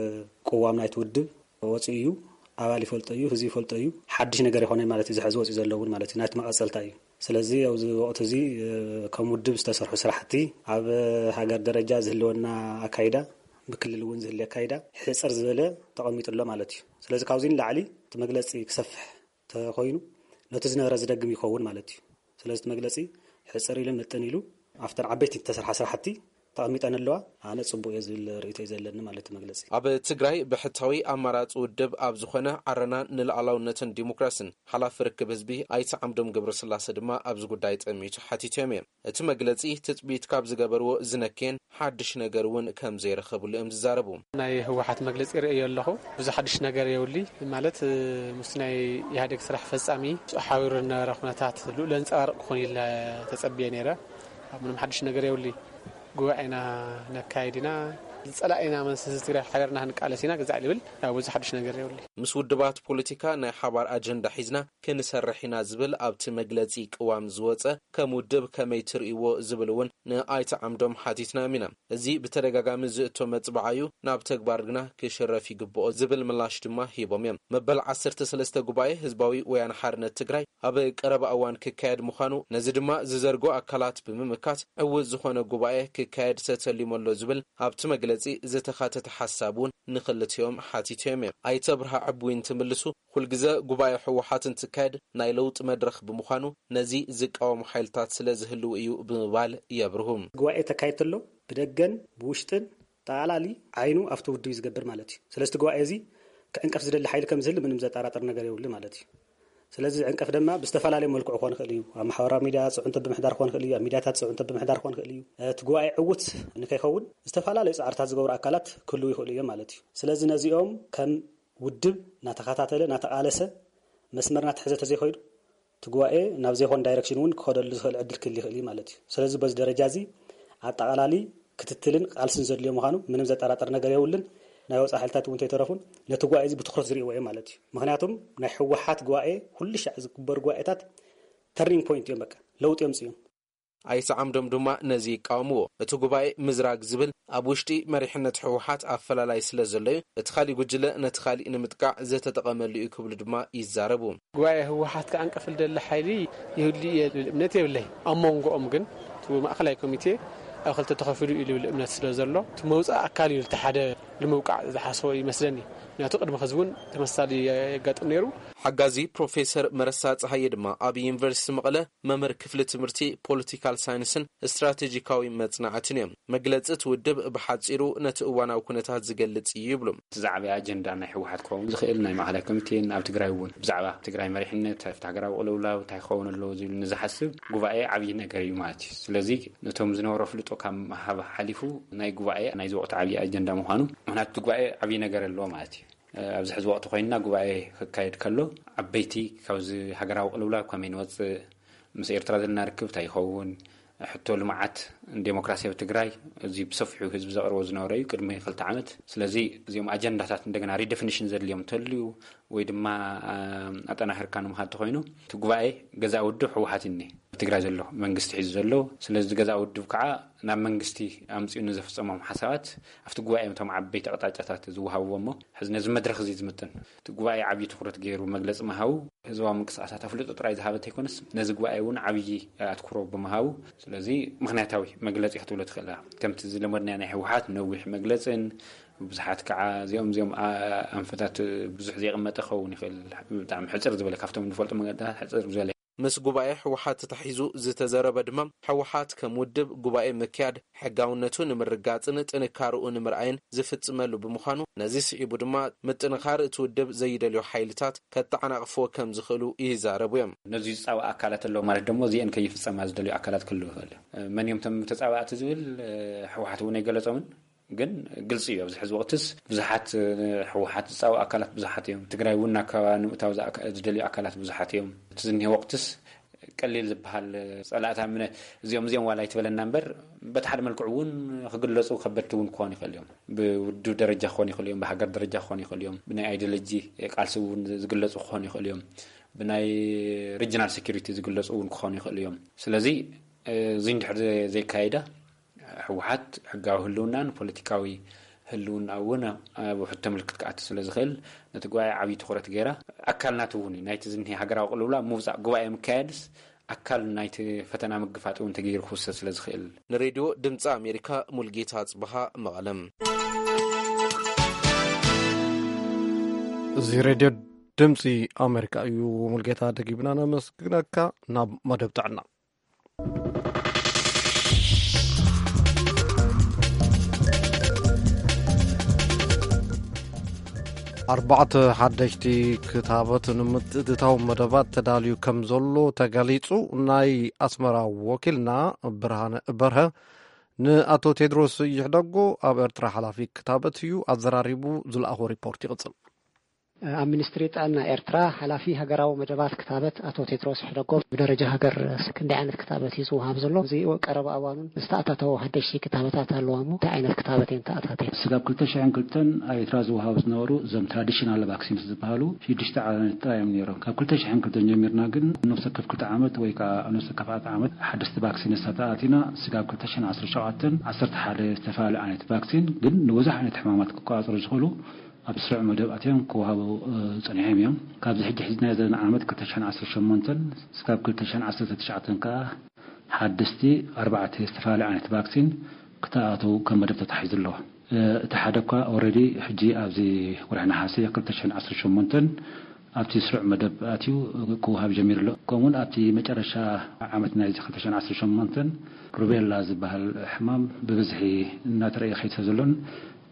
ቅዋም ናይቲ ውድብ ወጺኡ እዩ። ኣባል ይፈልጦ እዩ፣ ህዝቢ ይፈልጦ እዩ። ሓድሽ ነገር ይኾነ ማለት እዩ፣ እዚ ሕዚ ወጺኡ ዘሎ እውን ማለት እዩ፣ ናይቲ መቐጸልታ እዩ። ስለዚ ኣብዚ ወቕቲ እዚ፣ እ፣ ከም ውድብ ዝተሰርሑ ስራሕቲ፣ ኣብ ሃገር ደረጃ ዝህልወና ኣካይዳ፣ ብክልል እውን ዝህሊ ኣካይዳ ሕጽር ዝበለ ተቐሚጡ ኣሎ ማለት እዩ። ስለዚ ካብዚ ንላዕሊ እቲ መግለጺ ክሰፍሕ ተኾይኑ ነቲ ዝነበረ ዝደግም ይኸውን ማለት እዩ። ስለዚ እቲ መግለጺ ሕጽር ኢሉ ምጥን ኢሉ ኣብተን ዓበይቲ ዝተሰርሓ ስራሕቲ ተቐሚጠን ኣለዋ። ኣነ ጽቡቕ እየ ዝብል ርእይቶ እዩ ዘለኒ ማለት እዩ መግለጺ። ኣብ ትግራይ ብሕታዊ ኣማራጺ ውድብ ኣብ ዝኾነ ዓረና ንሉዓላውነትን ዲሞክራስን ሓላፊ ርክብ ህዝቢ ኣይተ ዓምዶም ገብረስላሴ ድማ ኣብዚ ጉዳይ ጠሚቱ ሓቲቶም እዮም። እቲ መግለጺ ትጽቢት ካብ ዝገበርዎ ዝነክየን ሓድሽ ነገር እውን ከም ዘይረኸብሉ እዮም ዝዛረቡ። ናይ ህወሓት መግለጺ ርእዮ ኣለኹ። ብዙ ሓድሽ ነገር የብሉይ። ማለት፣ እ፣ ምስ ናይ ኢህኣዴግ ስራሕ ፈጻሚ ሓቢሩ ዝነበረ ኩነታት ልኡል ዘንጸባርቕ ክኾን ኢለ ተጸብየ ነይረ። ኣብ ምንም ሓድሽ ነገር የብሉይ። ጉባኤና ነካይድ ኢና፣ ዝጸላእና መንስስ ትግራይ ሓቢርና ክንቃለስ ኢና፣ ግዛዕ ልብል፣ ያው ብዙ ሓድሽ ነገር የብሉይ። ምስ ውድባት ፖለቲካ ናይ ሓባር ኣጀንዳ ሒዝና ክንሰርሕ ኢና ዝብል ኣብቲ መግለጺ ቅዋም ዝወጸ ከም ውድብ ከመይ ትርእይዎ ዝብል እውን ንኣይተ ዓምዶም ሓቲትናዮም ኢና። እዚ ብተደጋጋሚ ዝእቶ መጽብዓ እዩ፣ ናብ ተግባር ግና ክሽረፍ ይግብኦ ዝብል ምላሽ ድማ ሂቦም እዮም። መበል ዓሰርተ ሰለስተ ጉባኤ ህዝባዊ ወያነ ሓርነት ትግራይ ኣብ ቀረባ እዋን ክካየድ ምዃኑ፣ ነዚ ድማ ዝዘርግሑ ኣካላት ብምምካት ዕዉት ዝኾነ ጉባኤ ክካየድ ተተሊሙ ኣሎ ዝብል ኣብቲ መግለጺ ዝተኻተተ ሓሳብ እውን ንክልቲኦም ሓቲቶም እዮም። ኣይተ ኣብርሃ ዕቡይ እንትምልሱ፣ ኩልግዘ ጉባኤ ህወሓት እንትካየድ ናይ ለውጢ መድረኽ ብምዃኑ፣ ነዚ ዝቃወሙ ሓይልታት ስለ ዝህልዉ እዩ ብምባል የብርሁ። ጉባኤ ተካይድ ተሎ ብደገን ብውሽጥን ጠቓላሊ ዓይኑ ኣብቲ ውድብ እዩ ዝገብር ማለት እዩ። ስለዚ እቲ ጉባኤ እዚ ክዕንቀፍ ዝደሊ ሓይሊ ከም ዝህሉ ምንም ዘጠራጥር ነገር የብሉ ማለት እዩ። ስለዚ ዝዕንቀፍ ድማ ብዝተፈላለየ መልክዑ ክኾን ይኽእል እዩ። ኣብ ማሕበራዊ ሚድያ ጽዕንቶ ብምሕዳር ክኾን ይኽእል እዩ። ኣብ ሚድያታት ጽዕንቶ ብምሕዳር ክኾን ይኽእል እዩ። እቲ ጉባኤ ዕዉት ንከይኸውን ዝተፈላለዩ ጻዕርታት ዝገብሩ ኣካላት ክህልዉ ይኽእሉ እዮም ማለት እዩ። ስለዚ ነዚኦም ከም ውድብ እናተኸታተለ እናተቓለሰ መስመር እናተሐዘ ተዘይኸይዱ እቲ ጉባኤ ናብ ዘይኮን ዳይረክሽን እውን ክኸደሉ ዝኽእል ዕድል ክህል ይኽእል እዩ ማለት እዩ። ስለዚ በዚ ደረጃ እዚ ኣጠቓላሊ ክትትልን ቃልስን ዘድልዮ ምዃኑ ምንም ዘጠራጥር ነገር የብሉን። ናይ ወፃኢ ሓይልታት እውን እንተይተረፉን ነቲ ጉባኤ እዚ ብትኹረት ዝርእይዎ እዮም ማለት እዩ። ምኽንያቱም ናይ ህወሓት ጉባኤ ኩሉ ሻዕ ዝግበሩ ጉባኤታት ተርኒንግ ፖይንት እዮም፣ በቃ ለውጢ የምፅኡ እዮም። ኣይተ ዓምዶም ድማ ነዚ ይቃወምዎ። እቲ ጉባኤ ምዝራግ ዝብል ኣብ ውሽጢ መሪሕነት ህወሓት ኣፈላላይ ስለ ዘሎ እዩ፣ እቲ ካሊእ ጉጅለ ነቲ ካሊእ ንምጥቃዕ ዝተጠቐመሉ እዩ ክብሉ ድማ ይዛረቡ። ጉባኤ ህወሓት ክዓንቀፍ ዝደሊ ሓይሊ ይህሉ እየ ዝብል እምነት የብለይ። ኣብ መንጎኦም ግን እቲ ማእኸላይ ኮሚቴ ኣብ ክልተ ተኸፊሉ እዩ ዝብል እምነት ስለ ዘሎ፣ እቲ መውፃእ ኣካል እዩ፣ እቲ ሓደ ንምውቃዕ ዝሓሰቦ ይመስለኒ። ምክንያቱ ቅድሚ ሕዚ እውን ተመሳሳሊ የጋጥም ነይሩ። ሓጋዚ ፕሮፌሰር መረሳ ፀሃየ ድማ ኣብ ዩኒቨርሲቲ መቐለ መምህር ክፍሊ ትምህርቲ ፖለቲካል ሳይንስን ስትራቴጂካዊ መፅናዕትን እዮም። መግለፂ እቲ ውድብ ብሓፂሩ ነቲ እዋናዊ ኩነታት ዝገልፅ እዩ ይብሉ። እቲ ዝዓበየ ኣጀንዳ ናይ ህወሓት ክኸውን ዝኽእል ናይ ማእኸላይ ኮሚቴን ኣብ ትግራይ እውን ብዛዕባ ትግራይ መሪሕነት፣ ኣብቲ ሃገራዊ ቅልውላው እንታይ ክኸውን ኣለዎ ዝብል ንዝሓስብ ጉባኤ ዓብዪ ነገር እዩ ማለት እዩ። ስለዚ ነቶም ዝነበሮ ፍልጦ ካብ ምሃብ ሓሊፉ ናይ ጉባኤ ናይዚ ወቕቲ ዓብዪ ኣጀንዳ ምዃኑ፣ ምኽንያቱ እቲ ጉባኤ ዓብዪ ነገር ኣለዎ ማለት እዩ። ኣብዚ ሕዚ ወቕቲ ኮይንና ጉባኤ ክካየድ ከሎ ዓበይቲ ካብዚ ሃገራዊ ቅልውላው ከመይ ንወፅእ፣ ምስ ኤርትራ ዘለና ርክብ እንታይ ይኸውን፣ ሕቶ ልምዓት ዴሞክራሲ ኣብ ትግራይ፣ እዚ ብሰፊሑ ህዝቢ ዘቕርቦ ዝነበረ እዩ ቅድሚ ክልተ ዓመት። ስለዚ እዚኦም ኣጀንዳታት እንደገና ሪደፊኒሽን ዘድልዮም እንተልዩ ወይ ድማ ኣጠናኺርካ ንምኻድ ተኮይኑ እቲ ጉባኤ ገዛእ ውድብ ህወሓት እዩ እኒሄ ኣብ ትግራይ ዘሎ መንግስቲ ሒዙ ዘሎ። ስለዚ ገዛእ ውድብ ከዓ ናብ መንግስቲ ኣምፅኡ ንዘፍፀሞም ሓሳባት ኣብቲ ጉባኤ እቶም ዓበይቲ ኣቕጣጫታት ዝወሃብዎ እሞ ሕዚ ነዚ መድረክ እዚ ዝምጥን እቲ ጉባኤ ዓብዪ ትኩረት ገይሩ መግለፂ ምሃቡ ህዝባዊ ምንቅስቃሳት ኣፍልጦ ጥራይ ዝሃበ እንተይኮነስ ነዚ ጉባኤ እውን ዓብዪ ኣትኩሮ ብምሃቡ ስለዚ ምክንያታዊ መግለፂ ክትብሎ ትኽእል ከምቲ ዝለመድናዮ ናይ ህወሓት ነዊሕ መግለፅን ብዙሓት ከዓ እዚኦም እዚኦም ኣንፈታት ብዙሕ ዘይቕመጠ ክኸውን ይኽእል። ብጣዕሚ ሕፅር ዝበለ ካብቶም ንፈልጦ መገድታት ሕፅር ዝበለ። ምስ ጉባኤ ህወሓት ተታሒዙ ዝተዘረበ ድማ ህወሓት ከም ውድብ ጉባኤ ምክያድ ሕጋውነቱ ንምርጋፅን ጥንካርኡ ንምርኣይን ዝፍፅመሉ ብምዃኑ ነዚ ስዒቡ ድማ ምጥንኻር እቲ ውድብ ዘይደልዮ ሓይልታት ከተዓናቕፍዎ ከም ዝኽእሉ ይዛረቡ እዮም። ነዚ ዝፃወ ኣካላት ኣለዉ ማለት ደሞ እዚአን ከይፍፀማ ዝደልዩ ኣካላት ክህልው ይኽእል እዩ። መን እዮም ቶም ተፃባእቲ ዝብል ህወሓት እውን ኣይገለፆምን። ግን ግልፂ እዩ ኣብዚ ሕዚ ወቅትስ ብዙሓት ህወሓት ዝፃወ ኣካላት ብዙሓት እዮም። ትግራይ እውን ናብ ከባቢ ንምእታው ዝደልዩ ኣካላት ብዙሓት እዮም። እቲ ዝኒሄ ወቅትስ ቀሊል ዝበሃል ፀላእታ ምነ እዚኦም እዚኦም ዋላ ኣይትበለና እምበር በቲ ሓደ መልክዑ እውን ክግለፁ ከበድቲ እውን ክኾኑ ይኽእል እዮም። ብውድብ ደረጃ ክኾኑ ይኽእል እዮም፣ ብሃገር ደረጃ ክኾኑ ይኽእል እዮም፣ ብናይ ኣይዲዮሎጂ ቃልሲ እውን ዝግለፁ ክኾኑ ይኽእል እዮም፣ ብናይ ሪጅናል ሴኩሪቲ ዝግለፁ እውን ክኾኑ ይኽእል እዮም። ስለዚ እዚ እንድሕር ዘይካየዳ ህወሓት ሕጋዊ ህልውናን ፖለቲካዊ ህልውና እውን ኣብ ውሕድ ተምልክት ክኣቱ ስለ ዝኽእል ነቲ ጉባኤ ዓብዪ ትኹረት ገይራ ኣካል ናቱ እውን እዩ ናይቲ ዝኒሀ ሃገራዊ ቅልውላ ምውፃእ ጉባኤ ምካየድስ ኣካል ናይቲ ፈተና ምግፋጥ እውን ተገይሩ ክውሰድ ስለ ዝኽእል። ንሬድዮ ድምፂ ኣሜሪካ ሙልጌታ ኣፅብሃ መቐለም። እዚ ሬድዮ ድምፂ ኣሜሪካ እዩ። ሙልጌታ ደጊምና ነመስግነካ። ናብ መደብ ጥዕና። ኣርባዕተ ሓደሽቲ ክታበት ንምትእትታው መደባት ተዳልዩ ከም ዘሎ ተገሊጹ። ናይ ኣስመራ ወኪልና ብርሃነ በርሀ ንኣቶ ቴድሮስ ይሕደጎ ኣብ ኤርትራ ሓላፊ ክታበት እዩ ኣዘራሪቡ ዝለኣኾ ሪፖርት ይቕጽል። ኣብ ሚኒስትሪ ጥዕና ኤርትራ ሓላፊ ሃገራዊ መደባት ክታበት ኣቶ ቴድሮስ ሕደጎ ብደረጃ ሃገር ክንደይ ዓይነት ክታበት እዩ ዝወሃብ ዘሎ? እዚ ቀረባ እዋኑን ዝተኣታተው ሓደሽቲ ክታበታት ኣለዋ እሞ እንታይ ዓይነት ክታበት እየን ተኣታትየን? ስጋብ ክልተ ሽሕን ክልተን ኣብ ኤርትራ ዝወሃቡ ዝነበሩ እዞም ትራዲሽናል ቫክሲንስ ዝበሃሉ ሽዱሽተ ዓይነት ጥራይ እዮም ነይሮም። ካብ ክልተ ሽሕን ክልተን ጀሚርና ግን ኣብ ነፍሲ ወከፍ ክልተ ዓመት ወይ ከዓ ኣብ ነፍሲ ወከፍ ኣርባዕተ ዓመት ሓደስቲ ቫክሲንስ ተኣቲና ስጋብ ክልተ ሽሕን ዓሰርተ ሸውዓተን ዓሰርተ ሓደ ዝተፈላለዩ ዓይነት ቫክሲን ግን ንብዙሕ ዓይነት ሕማማት ክቆፃፀሩ ዝኽእሉ ኣብ ስሩዕ መደብ ኣትዮም ክወሃቡ ጸኒሖም እዮም። ካብዚ ሕጂ ሒዝናዮ ዘለና ዓመት ክልተ ሽሕን ዓሰርተ ሸሞንተን ስጋብ ክልተ ሽሕን ዓሰርተ ትሽዓተን ከኣ ሓደስቲ ኣርባዕተ ዝተፈላለዩ ዓይነት ቫክሲን ክተኣታተዉ ከም መደብ ተታሒዙ ኣሎ። እቲ ሓደ እኳ ኦረዲ ሕጂ ኣብዚ ወርሒ ነሓሰ ክልተ ሽሕን ዓሰርተ ሸሞንተን ኣብቲ ስሩዕ መደብ ኣትዩ ክወሃብ ጀሚሩ ኣሎ። ከምኡውን ኣብቲ መጨረሻ ዓመት ናይዚ ክልተ ሽሕን ዓሰርተ ሸሞንተን ሩቤላ ዝበሃል ሕማም ብብዝሒ እናተረእየ ከይድ ስለ ዘሎን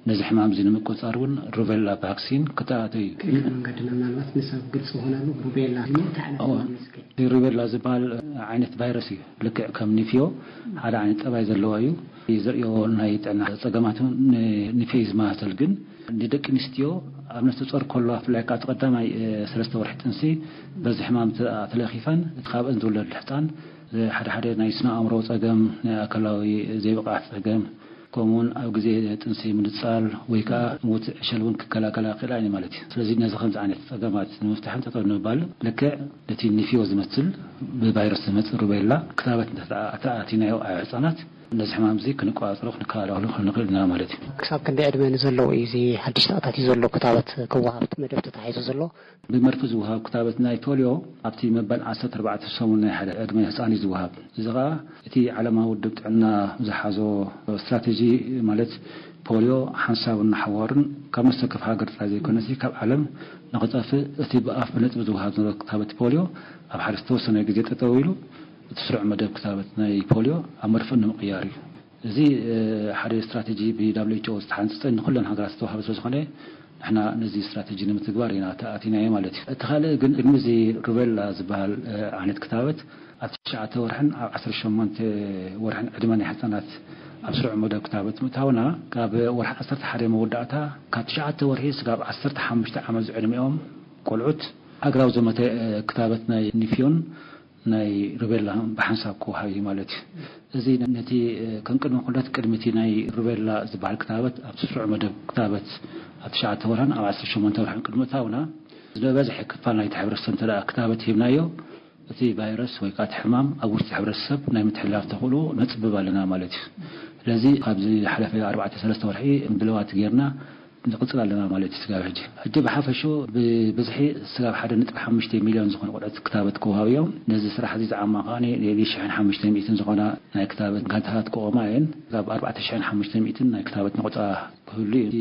ነዚ ሕማም እዚ ንምቁፅፃር እውን ሩቤላ ቫክሲን ክተኣታቶ እዩ። ክእለ መንገድና ምናልባት ንሰብ ግልፂ ዝኾነሉ ሩቤላ እንታይ ዓይነት ሕማም እዩ ዝከ ሩቤላ ዝበሃል ዓይነት ቫይረስ እዩ። ልክዕ ከም ኒፍዮ ሓደ ዓይነት ጠባይ ዘለዎ እዩ። ዘርእዮ ናይ ጥዕና ፀገማት እውን ንኒፍዮ እዩ ዝመሳሰል፣ ግን ንደቂ ኣንስትዮ ኣብ ነፍሰ ፆር ከሎ ብፍላይ ከዓ እቲ ቀዳማይ ሰለስተ ወርሒ ጥንሲ በዚ ሕማም ተለኺፈን እቲ ካብአን ዝውለድ ሕፃን ሓደ ሓደ ናይ ስነ ኣእምሮ ፀገም፣ ናይ ኣካላዊ ዘይብቕዓት ፀገም፣ ከምኡውን ኣብ ግዜ ጥንሲ ምንጻል ወይ ከዓ ሞት ዕሸል እውን ክከላከላ ክእላ እየን ማለት እዩ። ስለዚ ነዚ ከምዚ ዓይነት ፀገማት ንምፍታሕን ጠጠው ንምባል ልክዕ ነቲ ኒፊዮ ዝመስል ብቫይረስ ዝመፅእ ሩቤላ ክታበት እንተተኣቲናዮ ኣብ ህፃናት ነዚ ሕማም እዚ ክንቆፃፀሮ ክንከላኸሎ ክንኽእል ኢና ማለት እዩ። ክሳብ ክንደይ ዕድመ ንዘለዉ እዩ እዚ ሓድሽ ተኣታትዩ ዘሎ ክታበት ክወሃብ መደብ ተታሒዙ ዘሎ? ብመርፍእ ዝወሃብ ክታበት ናይ ፖልዮ ኣብቲ መበል ዓሰርተ ኣርባዕተ ሰሙን ናይ ሓደ ዕድመ ህፃን እዩ ዝወሃብ። እዚ ኸዓ እቲ ዓለማዊ ውድብ ጥዕና ዝሓዞ ስትራቴጂ ማለት ፖልዮ ሓንሳብን ንሓዋሩን ካብ ነፍሲ ወከፍ ሃገር ጥራይ ዘይኮነሲ ካብ ዓለም ንኽጠፍእ እቲ ብኣፍ ብነጥቢ ዝወሃብ ዝነበረ ክታበት ፖልዮ ኣብ ሓደ ዝተወሰነ ግዜ ጠጠው ኢሉ እቲ ስሩዕ መደብ ክታበት ናይ ፖልዮ ኣብ መርፍእ ንምቕያር እዩ። እዚ ሓደ ስትራቴጂ ብ WHO ዝተሓንፀፀ ንኩለን ሃገራት ዝተዋሃበ ስለዝኾነ ንሕና ነዚ ስትራቴጂ ንምትግባር ኢና ተኣቲናዮ ማለት እዩ። እቲ ካልእ ግን ቅድሚ እዚ ሩቤላ ዝበሃል ዓይነት ክታበት ኣብ ትሽዓተ ወርሕን ኣብ ዓሰርተ ሸሞንተ ወርሕን ዕድመ ናይ ህፃናት ኣብ ስሩዕ መደብ ክታበት ምእታውና ካብ ወርሒ ዓሰርተ ሓደ መወዳእታ ካብ ትሽዓተ ወርሒ ስጋብ ዓሰርተ ሓሙሽተ ዓመት ዝዕድሚኦም ቆልዑት ሃገራዊ ዘመተ ክታበት ናይ ኒፊዮን ናይ ሩቤላ ብሓንሳብ ክወሃብ እዩ ማለት እዩ። እዚ ነቲ ከም ቅድመ ኩነት ቅድሚ እቲ ናይ ሩቤላ ዝበሃል ክታበት ኣብ ስሩዕ መደብ ክታበት ኣብ ትሽዓተ ወርሕን ኣብ ዓሰርተ ሸሞንተ ወርሕን ቅድሚ እታውና ዝበዝሐ ክፋል ናይቲ ሕብረተሰብ እንተ ክታበት ሂብናዮ፣ እቲ ቫይረስ ወይ ከዓ እቲ ሕማም ኣብ ውሽጢ ሕብረተሰብ ናይ ምትሕልላፍ ተኽእሎ ነፅብብ ኣለና ማለት እዩ። ስለዚ ካብዚ ሓለፈ ኣርባዕተ ሰለስተ ወርሒ ድለዋት ጌርና ንቕፅል ኣለና ማለት እዩ። ስጋብ ሕጂ ሕጂ ብሓፈሽኡ ብብዝሒ ስጋብ ሓደ ነጥቢ ሓሙሽተ ሚሊዮን ዝኾኑ ቆልዑት ክታበት ክወሃቡ እዮም። ነዚ ስራሕ እዚ ዝዓማ ከዓ ልዕሊ ሽሕን ሓሙሽተ ሚእትን ዝኾና ናይ ክታበት ጋንታታት ክቆማ እየን። ካብ ኣርባዕተ ሽሕን ሓሙሽተ ሚእትን ናይ ክታበት ነቑፃ ክህሉ እዩ። እቲ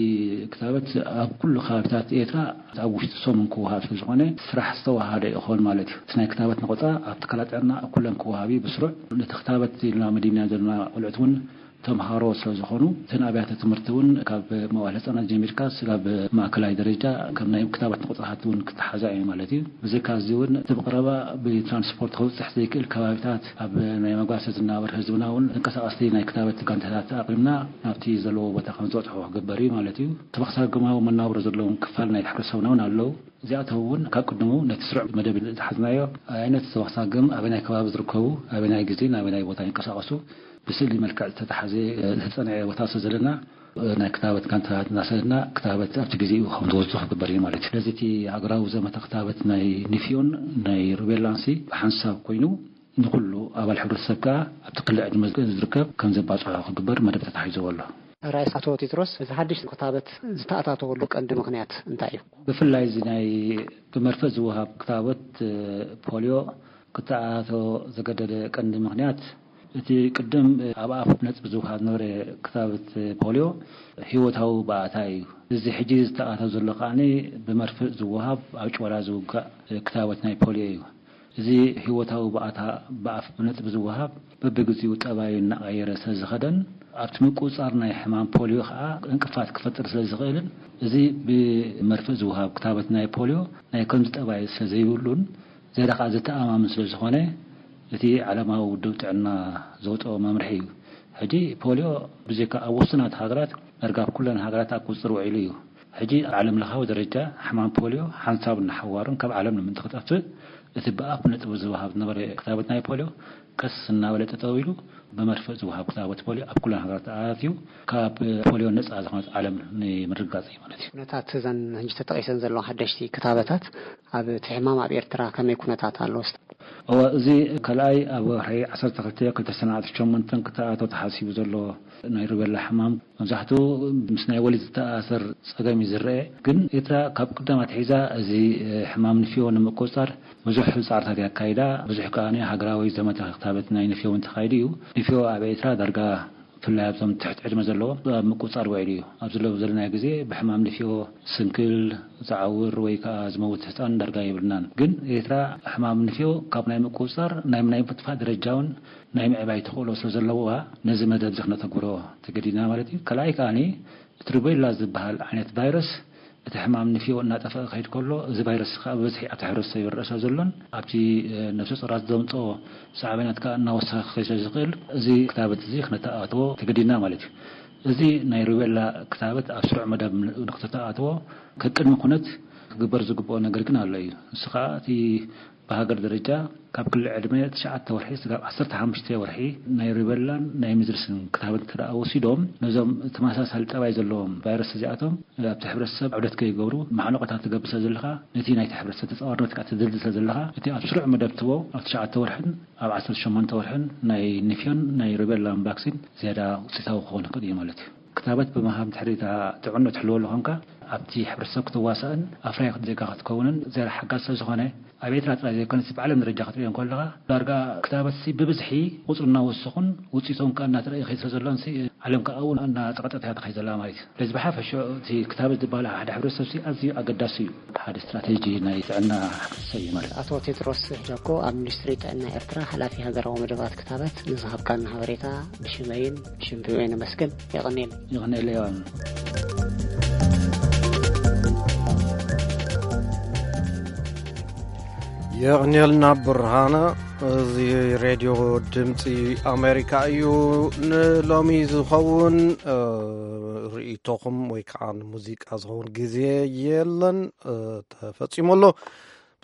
ክታበት ኣብ ኩሉ ከባቢታት ኤርትራ ኣብ ውሽጢ ሰሙን ክወሃብ ስለ ዝኾነ ስራሕ ዝተዋሃደ ይኾን ማለት እዩ። እቲ ናይ ክታበት ነቑፃ ኣብ ትካላት ጥዕና ኩለን ክወሃብ እዩ ብስሩዕ። ነቲ ክታበት ኢልና መዲብና ዘለና ቆልዑት እውን ተምሃሮ ስለ ዝኾኑ እተን ኣብያተ ትምህርቲ እውን ካብ መዋል ህፃናት ጀሚርካ ስጋብ ማእከላይ ደረጃ ከም ናይ ክታበት ነቑፃታት እውን ክተሓዛ እዩ ማለት እዩ። ብዘይካ እዚ እውን እቲ ብቐረባ ብትራንስፖርት ክብፅሕ ዘይክእል ከባቢታት ኣብ ናይ መጓሰ ዝናበር ህዝብና እውን ተንቀሳቐስቲ ናይ ክታበት ጋንታታት ኣቕሪብና ናብቲ ዘለዎ ቦታ ከም ዝበፅሑ ክግበር እዩ ማለት እዩ። ተበክሳግማዊ መናብሮ ዘለዎም ክፋል ናይ ሕብረተሰብና እውን ኣለዉ። እዚኣቶም እውን ካብ ቅድሙ ነቲ ስሩዕ መደብ ዝሓዝናዮ ዓይነት ተበክሳግም ኣበናይ ከባቢ ዝርከቡ ኣበናይ ግዜን ኣበናይ ቦታ ይንቀሳቐሱ ብስእሊ መልክዕ ዝተተሓዘ ዝተፀንዐ ቦታ ስለ ዘለና ናይ ክታበት ጋንታታት እናሰደድና ክታበት ኣብቲ ግዜኡ ከም ዝወፁ ክግበር እዩ ማለት እዩ። ስለዚ እቲ ሃገራዊ ዘመተ ክታበት ናይ ንፍዮን ናይ ሩቤላንሲ ብሓንሳብ ኮይኑ ንኩሉ ኣባል ሕብረተሰብ ከዓ ኣብቲ ክሊ ዕድመ ዝርከብ ከም ዘባፅሖ ክግበር መደብ ተታሒዝዎ ኣሎ። ራእስ ኣቶ ቴድሮስ፣ እዚ ሓድሽ ክታበት ዝተኣታተወሉ ቀንዲ ምኽንያት እንታይ እዩ? ብፍላይ እዚ ናይ ብመርፍእ ዝወሃብ ክታበት ፖሊዮ ክተኣታቶ ዘገደደ ቀንዲ ምኽንያት እቲ ቅድም ኣብ ኣፍ ነጥቢ ዝወሃብ ዝነበረ ክታበት ፖሊዮ ህይወታዊ ባእታ እዩ። እዚ ሕጂ ዝተኣታቶ ዘሎ ከዓኒ ብመርፍእ ዝወሃብ ኣብ ጭወላ ዝውጋእ ክታበት ናይ ፖሊዮ እዩ። እዚ ህይወታዊ ባእታ ብኣፍ ብነጥቢ ዝወሃብ በብግዚኡ ጠባዩ እናቐየረ ስለ ዝኸደን ኣብቲ ምቁፅፃር ናይ ሕማም ፖሊዮ ከዓ እንቅፋት ክፈጥር ስለ ዝኽእልን እዚ ብመርፍእ ዝወሃብ ክታበት ናይ ፖሊዮ ናይ ከምዚ ጠባይ ስለ ዘይብሉን ዝያዳ ከዓ ዘተኣማምን ስለ ዝኾነ እቲ ዓለማዊ ውድብ ጥዕና ዘውፅኦ መምርሒ እዩ። ሕጂ ፖሊዮ ብዘይካ ኣብ ውሱናት ሃገራት ዳርጋ ኣብ ኩለን ሃገራት ኣብ ቁፅፅር ውዒሉ እዩ። ሕጂ ኣብ ዓለም ለኻዊ ደረጃ ሕማም ፖሊዮ ሓንሳብ እናሓዋሩን ካብ ዓለም ንምንታይ ክጠፍእ እቲ ብኣፍ ነጥቢ ዝወሃብ ዝነበረ ክታበት ናይ ፖሊዮ ቀስ እናበለ ጠጠው ኢሉ ብመርፍእ ዝወሃብ ክታበት ፖሊዮ ኣብ ኩለን ሃገራት ኣትዩ ካብ ፖሊዮ ነፃ ዝኾነት ዓለም ንምርግጋፅ እዩ ማለት እዩ። ኩነታት እዘን ሕጂ ተጠቂሰን ዘለዋ ሓደሽቲ ክታበታት ኣብ እቲ ሕማም ኣብ ኤርትራ ከመይ ኩነታት ኣሎ? እወ፣ እዚ ካልኣይ ኣብ ወርሒ ዓሰርተ ክልተ ክልተ ሰነ ዓሰርተ ሸሞንተ ክተኣቶ ተሓሲቡ ዘሎ ናይ ሩቤላ ሕማም መብዛሕትኡ ምስ ናይ ወሊድ ዝተኣሳሰር ጸገም እዩ ዝረአ። ግን ኤርትራ ካብ ቅደም ኣትሒዛ እዚ ሕማም ንፍዮ ንምቁጽጻር ብዙሕ ጻዕርታት እያ ኣካይዳ። ብዙሕ ከኣ ሃገራዊ ዘመተ ክታበት ናይ ንፍዮ እውን ተኻይዱ እዩ። ንፍዮ ኣብ ኤርትራ ዳርጋ ብፍላይ ኣብዞም ትሕቲ ዕድመ ዘለዎም ኣብ ምቁጽጻር ውዒሉ እዩ። ኣብዚ ሎሚ ዘለናዮ ግዜ ብሕማም ንፍዮ ስንክል፣ ዝዓውር ወይ ከኣ ዝመውት ህጻን ዳርጋ የብልናን። ግን ኤርትራ ሕማም ንፍዮ ካብ ናይ ምቁጽጻር ናይ ናይ ምጥፋእ ደረጃ እውን ናይ ምዕባይ ተኽእሎ ስለ ዘለዋ ነዚ መደብ እዚ ክነተግብሮ ተገዲድና ማለት እዩ። ካልኣይ ከኣኒ እቲ ሩቤላ ዝበሃል ዓይነት ቫይረስ እቲ ሕማም ንፍዮ እናጠፍአ ክኸይድ ከሎ እዚ ቫይረስ ከዓ ብብዝሒ ኣብቲ ሕብረተሰብ ይረአ ስለ ዘሎን ኣብቲ ነፍሰ ጾራት ዘምፅኦ ሳዕቤናት ከዓ እናወሰኸ ክኸይድ ስለ ዝኽእል እዚ ክታበት እዚ ክነተኣትዎ ተገዲድና ማለት እዩ። እዚ ናይ ሩቤላ ክታበት ኣብ ስሩዕ መደብ ንክተተኣትዎ ከቅድሚ ኩነት ክግበር ዝግብኦ ነገር ግን ኣሎ እዩ። ንሱ ከዓ እቲ ብሃገር ደረጃ ካብ ክሊ ዕድመ ትሽዓተ ወርሒ ስጋብ ዓሰርተ ሓሙሽተ ወርሒ ናይ ሩቤላን ናይ ሚዝልስን ክታበት እንተ ደኣ ወሲዶም ነዞም ተመሳሳሊ ጠባይ ዘለዎም ቫይረስ እዚኣቶም ኣብቲ ሕብረተሰብ ዑደት ከይገብሩ ማዕነቆታት ትገብር ስለ ዘለኻ ነቲ ናይቲ ሕብረተሰብ ተጻዋርነት ከዓ ትድልድል ስለ ዘለኻ እቲ ኣብ ስሩዕ መደብ ትቦ ኣብ ትሽዓተ ወርሕን ኣብ ዓሰርተ ሸሞንተ ወርሕን ናይ ንፍዮን ናይ ሩቤላን ቫክሲን ዝያዳ ውፅኢታዊ ክኾን ይኽእል እዩ ማለት እዩ። ክታበት ብምሃብ ድሕሪ እታ ጥዕንኡ ትሕልወሉ ኮንካ ኣብቲ ሕብረተሰብ ክትዋሳእን ኣፍራይ ዜጋ ክትከውንን ዝያዳ ሓጋዚ ስለ ዝኾነ ኣብ ኤርትራ ጥራይ ዘይኮነስ ብዓለም ደረጃ ክትርእዮ እንከለኻ ዳርጋ ክታበትሲ ብብዝሒ ቁፅሩ እናወሰኹን ውፅኢቶም ከዓ እናተረእየ ይኸይድ ስለ ዘሎንሲ ዓለም ከዓ እውን እናፀቐጠት እያ ትኸይድ ዘላ ማለት እዩ። ስለዚ ብሓፈሽኡ እቲ ክታበት ዝበሃል ሓደ ሕብረተሰብሲ ኣዝዩ ኣገዳሲ እዩ። ሓደ ስትራቴጂ ናይ ጥዕና ሕብረተሰብ እዩ ማለት እዩ። ኣቶ ቴድሮስ ጃኮ ኣብ ሚኒስትሪ ጥዕና ኤርትራ ሓላፊ ሃገራዊ መደባት ክታበት ንዝሃብካና ሓበሬታ ብሽመይን ብሽም ቪኦኤ ነመስግን። የቐንየልና። ይቕንየለይ ዮሃን። የቕንየልና ብርሃነ። እዚ ሬድዮ ድምፂ ኣሜሪካ እዩ። ንሎሚ ዝኸውን እ፣ ርእይቶኹም ወይ ከዓ ንሙዚቃ ዝኸውን ግዜ የለን፣ እ፣ ተፈጺሙ ኣሎ።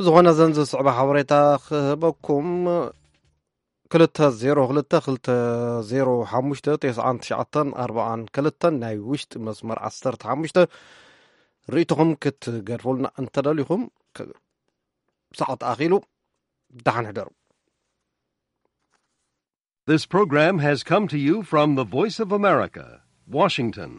ዝኾነ ዘንዚ ስዕባ ሓበሬታ ክህበኩም፣ ክልተ ዜሮ ክልተ ክልተ ዜሮ ሓሙሽተ ተስዓን ትሽዓተን ኣርባዓን ክልተን ናይ ውሽጢ መስመር ዓሰርተ ሓሙሽተ ርእይቶኹም ክትገድፉልና እንተደሊኹም፣ ክ-፣ ሰዓት ኣኺሉ። ደሓን ሕደሩ። This program has come to you from the Voice of America, Washington.